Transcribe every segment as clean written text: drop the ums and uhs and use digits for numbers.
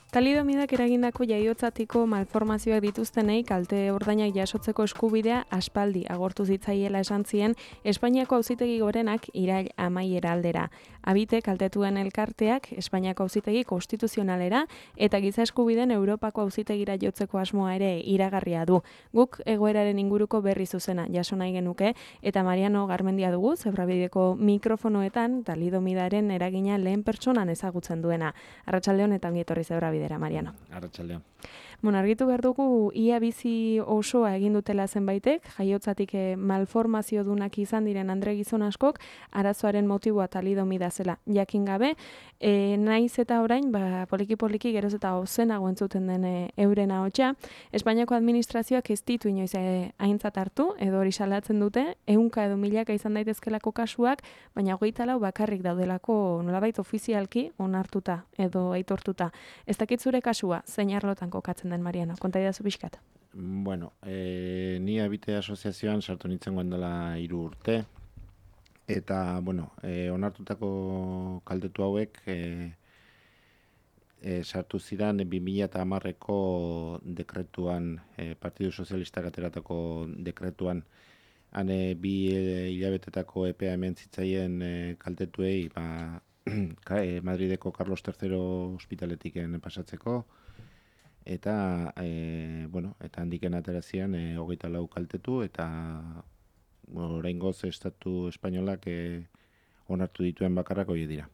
Talidomidak eragindako jaiotzatiko malformazioak dituztenei kalte ordainak jasotzeko eskubidea aspaldi agortu zitzaiela esan zien Espainiako Auzitegi Gorenak irail amaiera aldera. Abite kaltetuen elkarteak Espainiako Auzitegi Konstituzionalera eta Giza Eskubideen Europako Auzitegira jotzeko asmoa ere iragarria du. Guk egoeraren inguruko berri zuzena jaso nahi genuke eta Mariano Garmendia dugu Zebrabideko mikrofonoetan talidomidaren eragina lehen pertsonan ezagutzen duena. Arratsaldeon eta ongi etorri Zebrabide. Mariano. Arratsaldeon. Argitu behar dugu ia bizi osoa egin dutela zenbaitek, jaiotzatik malformaziodunak izan diren andre gizon askok, arazoaren motiboa talidomida zela jakin gabe, naiz eta orain, poliki-poliki geroz eta ozenago entzuten den euren ahotsa, Espainiako administrazioak ez ditu inoiz aintzat hartu, edo hori salatzen dute, 100 edo milaka izan daitezkelako kasuak, baina 24 bakarrik daudelako nolabait ofizialki onartuta edo aitortuta. Ez dakit zure kasua, zein arlotan kokatzen den, Mariano? Konta idazu pixkat. Bueno, ni Abite asoziazioan sartu nintzen dela 3 urte, eta, onartutako kaltetu hauek sartu ziren 2010ko dekretuan, Partidu Sozialistak ateratako dekretuan, hane 2 hilabetetako epea hemen zitzaien kaltetuei, Madrideko Carlos III ospitaletik pasatzeko, eta eta handiken aterazian 24 kaltetu, eta oraingoz Estatu Espainolak onartu dituen bakarrak horiek dira.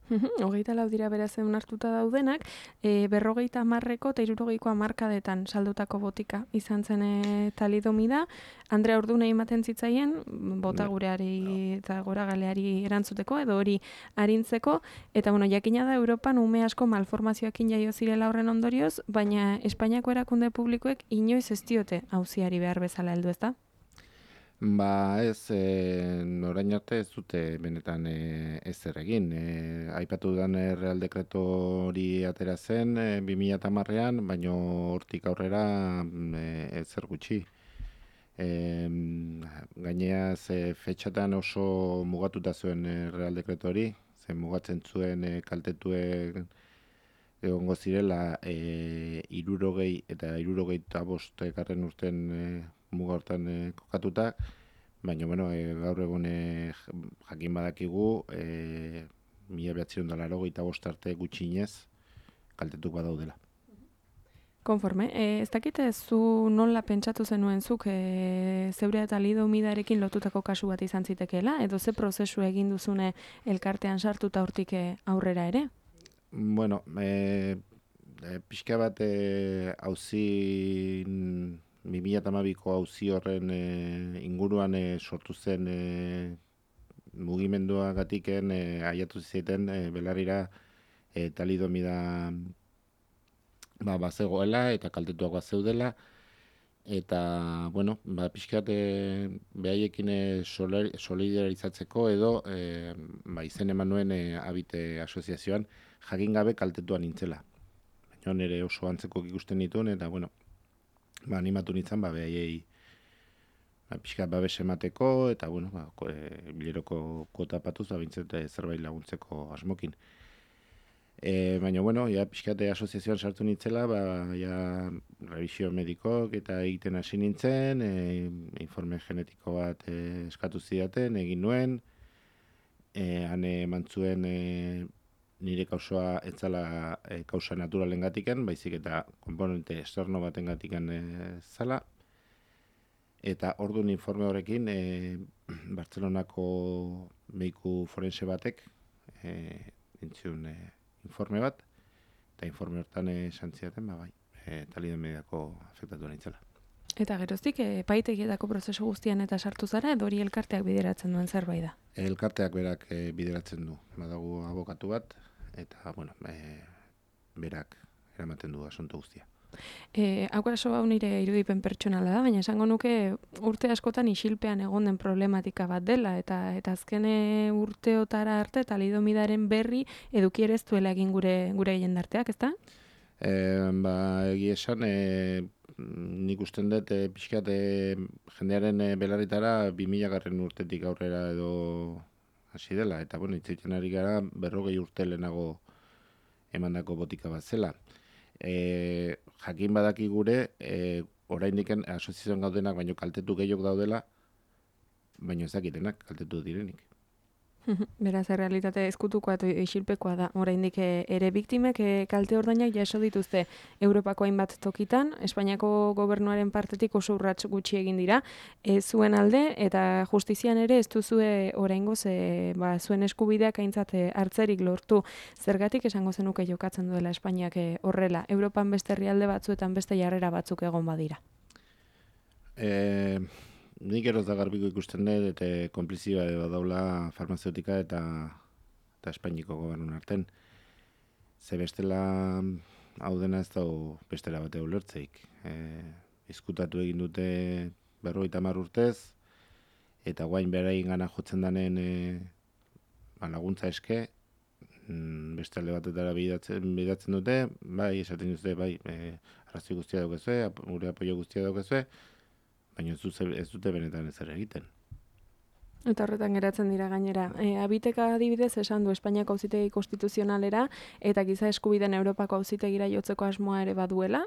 24 dira beraz onartuta daudenak, 50ko eta 60ko hamarkadetan saldutako botika izan zen talidomida. Andrea Ordunei ematen zitzaien, bota gureari eta goragaleari erantzuteko, edo hori arintzeko, eta jakina da Europan ume asko malformazioekin jaio zirela horren ondorioz, baina Espainiako erakunde publikoek inoiz ez diote auziari behar bezala heldu, ezta? Ez, orain arte ez dute benetan ezer egin. Aipatu dudan Real Dekreto hori atera zen 2010ean, baina hortik aurrera ezer gutxi. Gainea fetxatan oso mugatuta zuen Real Dekreto hori, mugatzen zuen kaltetuek egongo zirela 60 eta 65 garren urten muga hortan kokatuta, baina gaur egun jakin badakigu 1985 arte gutxienez kaltetuk badaudela. Konforme, ez dakit zu nola pentsatu zenuen zuk zeure eta talidomidarekin lotutako kasu bat izan zitekeela, edo ze prozesu egin duzune elkartean sartuta hortik aurrera ere? Pixka bat auzi 2012ko auzi horren inguruan sortu zen mugimenduagatiken aiatu ziten belarrira talidomida bazegoela eta kaltetuak bazeudela, eta pixkat behaiekin solidarizatzeko edo izen eman nuen Abite asoziazioan jakin gabe kaltetuan nintzela. Baina nire oso antzeko ikusten nituen, eta animatu nintzen behaiei pixkat babes emateko, eta bileroko kuota patuz bintzete zerbait laguntzeko asmokin. Baina, pixkat asoziazioan sartu nintzela, revisio medikok eta egiten hasi nintzen, informe genetiko bat eskatu zidaten, egin nuen, hane emantzuen nire kausoa ez zala kausa naturalen gatiken, baizik eta komponente externo baten gatiken zala. Eta orduan informe horrekin, Bartzelonako mediku forense batek entzun informe bat, eta informe hortan esan zidaten, talidomidako afektatu nintzela. Eta geroztik, epaitegietako prozesu guztian eta sartu zara, edo hori elkarteak bideratzen duen zerbait da? Elkarteak berak bideratzen du. Badago abokatu bat, eta berak eramaten du asunto guztia. Hau hau nire irudipen pertsonala da, baina esango nuke urte askotan isilpean egon den problematika bat dela, eta azken urteotara arte talidomidaren berri eduki ere ez duela egin gure jendarteak, ezta? Egia esan, nik usten dut pixkat jendearen belarritara 2000 garren urtetik aurrera edo hasi dela, eta hitz egiten ari gara 40 urte lehenago emandako botika bat zela. Jakin badaki gure, oraindik asoziazioan gaudenak baino kaltetu gehiago daudela, baino ez dakitenak kaltetu direnik. Beraz, errealitate ezkutukoa eta isilpekoa da. Oraindik ere biktimek kalte ordainak jaso dituzte Europako hainbat tokitan, Espainiako gobernuaren partetik oso urrats gutxi egin dira, zuen alde eta justizian ere ez duzue oraingoz zuen eskubideak aintzat hartzerik lortu. Zergatik esango zenuke jokatzen duela Espainiak horrela? Europan beste herrialde batzuetan beste jarrera batzuk egon badira. Nik eroz da garbiko ikusten dut, eta konplizioa daula farmazeutika eta Espainiko gobernun arten. Ze bestela hau dena ez dago bestela bate ulertzeik. Izkutatu egin dute 50 urtez, eta guain berain gana jotzen danen laguntza eske, beste alde batetara bidatzen dute, bai, esaten dute, bai, arrazoi guztia daukezue, gure apoio guztia daukezue, baina ez dute benetan ezer egiten. Eta horretan geratzen dira gainera. Abiteka adibidez esan du Espainiako Auzitegi Konstituzionalera eta giza eskubideen Europako Auzitegira jotzeko asmoa ere baduela,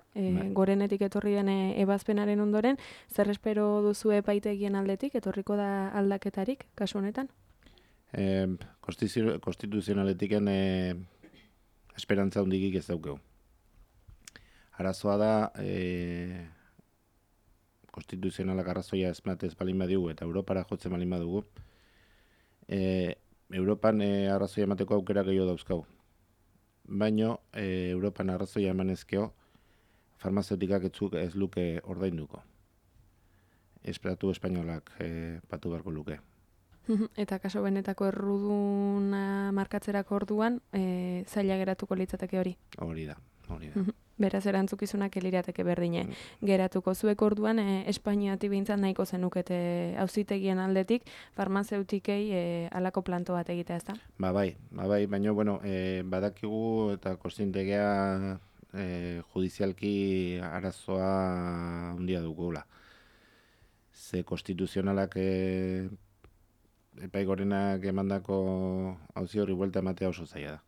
gorenetik etorri den ebazpenaren ondoren, zer espero duzu epaitegien aldetik, etorriko da aldaketarik, kasu honetan? Konstituzionaletiken esperantza hundigik ez daukeu. Arazoa da, konstituzionalak arrazoia ez balin badigu eta Europara jotzen balin badugu, Europan arrazoia emateko aukera gehiago dauzkau. Baino, Europan arrazoia emanezkeo, farmazeutikak ez luke ordainduko. Esperatu espainolak patu beharko luke. Eta kaso benetako erruduna markatzerako orduan, zaila geratuko litzateke hori? Hori da. Beraz, erantzukizunak elirateke berdine. Geratuko zuek orduan, Espainiatik behintzat nahiko zenukete auzitegien aldetik, farmazeutikei alako planto bat egitea, ez da? Bai, baina, badakigu eta konstintegea judizialki arazoa handia dugula. Ze konstituzionalak epai gorenak emandako auzi horri buelta ematea oso zaila da.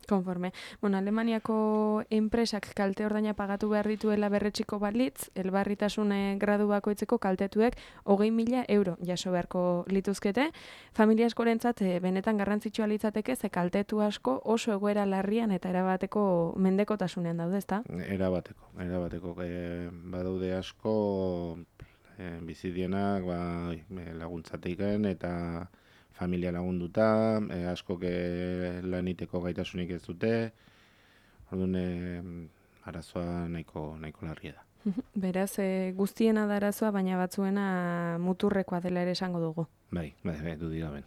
Konforme. Alemaniako enpresak kalte ordaina pagatu behar dituela berretxiko balitz, elbarritasun gradu bakoitzeko kaltetuek 20.000 euro jaso beharko lituzkete. Familia askorentzat benetan garrantzitsua litzateke, ze kaltetu asko oso egoera larrian eta erabateko mendekotasunean daude, ezta? Erabateko. Badaude asko bizidienak laguntzateiken eta familia lagunduta, askok laniteko gaitasunik ez dute, orduan arazoa nahiko larria da. Beraz, guztiena da arazoa, baina batzuena muturrekoa dela ere esango dugu. Bai, dudik gaben.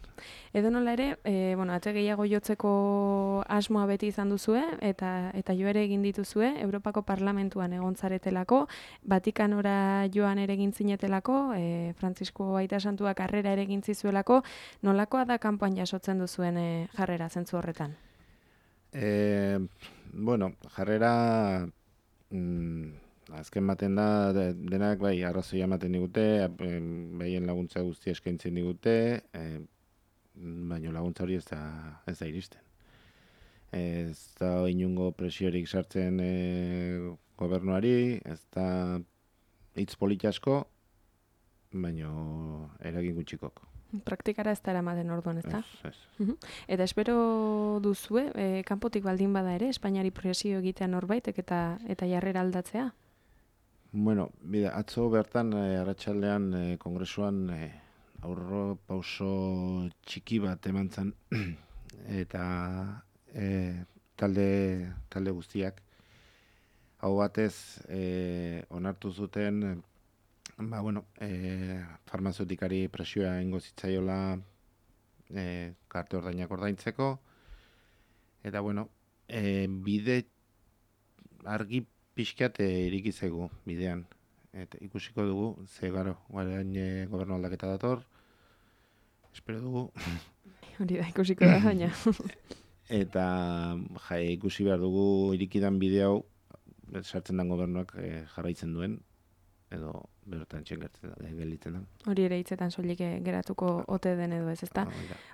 Edo nola ere, ate gehiago jotzeko asmoa beti izan duzue, eta jo ere egin dituzue, Europako Parlamentuan egon zaretelako, Vatikanora joan ere egin zinetelako, Frantzisko Aita Santuak harrera ere egin zizuelako, nolakoa da kanpoan jasotzen duzuen jarrera zentzu horretan? Jarrera azken baten da, denak bai arrazoia ematen digute, behien laguntza guztia eskaintzen digute, baina laguntza hori ez da iristen. Ez da inungo presiorik sartzen gobernuari, ez da hitz polit asko, baina eragin gutxikok. Praktikara ez da eramaten orduan, ez da? Ez. Eta espero duzue, kanpotik baldin bada ere, Espainiari presio egitea norbaitek eta jarrera aldatzea? Atzo bertan arratsaldean kongresuan aurro pauso txiki bat eman zen eta talde guztiak hau batez onartu zuten farmazeutikari presioa ingo zitzaiola karte ordainak ordaintzeko eta bide argi pixkat irikizegu bidean. Eta ikusiko dugu, ze guarain gobernu aldaketa dator, espero dugu. Hori da, ikusiko da, baina. Eta ikusi behar dugu irikidan bide hau, sartzen den gobernuak jarraitzen duen, edo bertan gelditzen da. Hori ere hitzetan soilik geratuko ote den edo ez, ezta?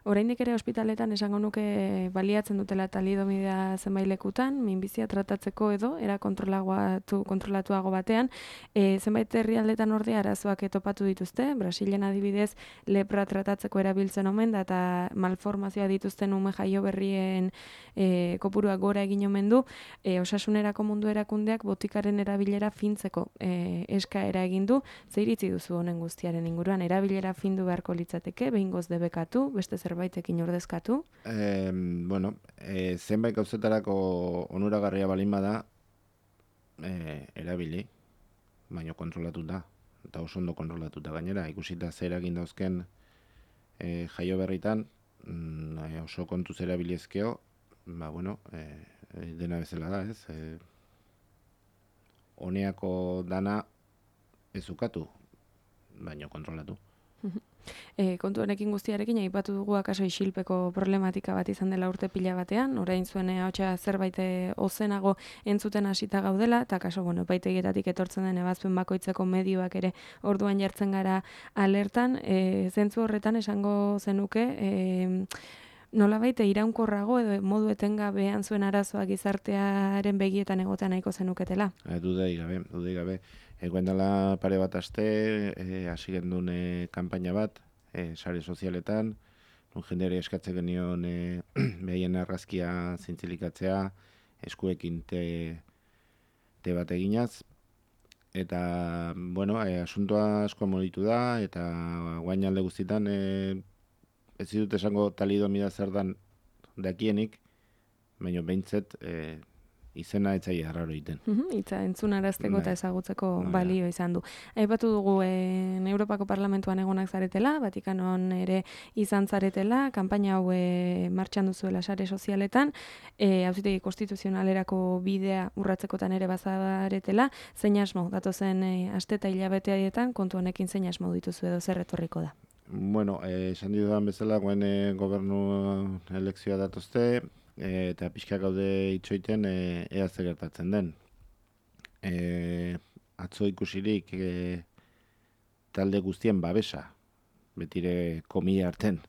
Oraindik ere ospitaletan esango nuke baliatzen dutela talidomida zenbait lekutan, minbizia tratatzeko edo era kontrolatuago batean, zenbait herrialdetan ordea arazoak topatu dituzte, Brasilen adibidez lepra tratatzeko erabiltzen omen da eta malformazioa dituzten ume jaio berrien kopuruak gora egin omen du, osasunerako mundu erakundeak botikaren erabilera fintzeko eskaera egin du. Ze iritzi duzu honen guztiaren inguruan, erabilera findu beharko litzateke, behingoz debekatu, beste zerbaitekin ordezkatu? Zenbait gauzetarako onuragarria balin bada, erabili, baina kontrolatuta, eta oso ondo kontrolatuta gainera, ikusita zer egin dauzken jaio berritan, oso kontuz erabiliezkeo, dena bezala da, ez? Honeako dana ez ukatu, baina kontrolatu. Kontu honekin guztiarekin aipatu dugu akaso isilpeko problematika bat izan dela urte pila batean, orain zuen ahotsa zerbait ozenago entzuten hasita gaudela, eta akaso epaitegietatik etortzen den ebazpen bakoitzeko medioak ere orduan jartzen gara alertan, zentzu horretan esango zenuke, nolabait iraunkorrago edo modu etengabean zuen arazoak gizartearen begietan egotea nahiko zenuketela? Dudei gabe. Egoen dela pare bat aste, hasi gendun kanpaina bat, sare sozialetan, jendeari eskatzen genion behien argazkia zintzilikatzea, eskuekin te bat eginaz, eta, asuntoa asko moditu da, eta guain alde guztietan, ez ditut esango talidomida zer dan dakienik, baina behintzet izena etzai arraro egiten. Itza entzunarazteko eta ezagutzeko balio izan du. Aipatu dugu Europako Parlamentuan egonak zaretela, Vatikanon ere izan zaretela, kanpaina hau martxan duzuela sare sozialetan, auzitegi konstituzionalerako bidea urratzekotan ere bazaretela, zein asmo datozen aste eta hilabeteetan kontu honekin zein asmo dituzu edo zer etorriko da? Esan dudan bezala, guen gobernu elekzioa datozte, eta pixka gaude itxoiten ea zer gertatzen den. Atzo ikusirik talde guztien babesa, betire komila arten,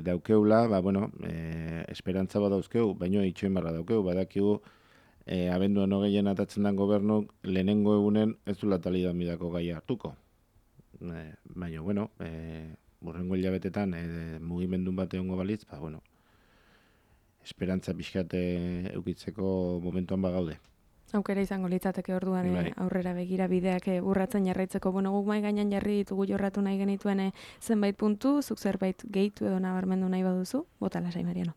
daukeula, esperantza bat dauzkeu, baino itxoin barra daukeu, badakigu abenduan hogeien atatzen den gobernuk lehenengo egunen ez du talidomidako gaia hartuko. Baina, burrengo hilabetetan mugimendun bat egongo balitz, esperantza pixkat eukitzeko momentuan bagaude. Aukera izango litzateke orduan aurrera begira bideak urratzen jarraitzeko. Guk mai gainean jarri ditugu jorratu nahi genituen zenbait puntu, zuk zerbait gehitu edo nabarmendu nahi baduzu, bota lasai Mariano.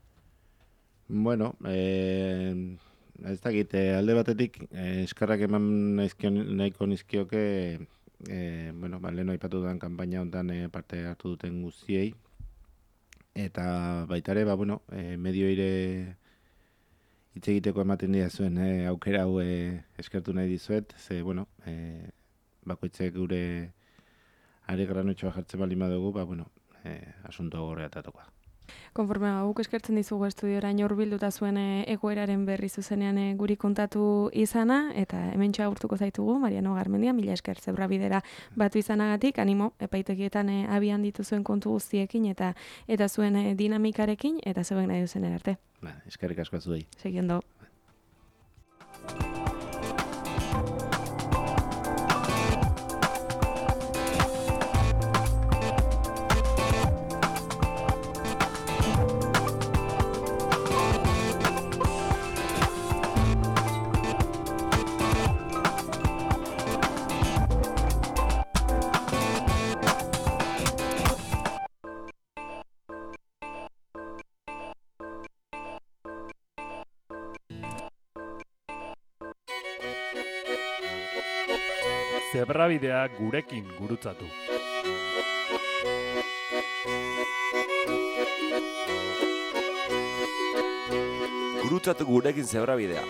Ez dakit, alde batetik eskarrak eman nahiko nizkioke lehen aipatu dudan kanpaina honetan parte hartu duten guztiei, eta baita ere, medioire hitz egiteko ematen dira zuen aukera hau eskertu nahi dizuet, ze, bakoitzek gure are granotxoa jartzen bali madugu, asuntoa gorreatatokoa. Konforme guk eskertzen dizugu estudiora hurbilduta zuen egoeraren berri zuzenean guri kontatu izana, eta hementxe agurtuko zaitugu, Mariano Garmendia, mila esker zebra bidera batu izanagatik, animo, epaitegietan abian dituzuen kontu guztiekin eta zuen dinamikarekin, eta zeuen nahi duzen arte. Eskerrik asko zuei. Seguiendo. Zebrabidea gurekin gurutzatu. Gurutzatu gurekin zebrabidea.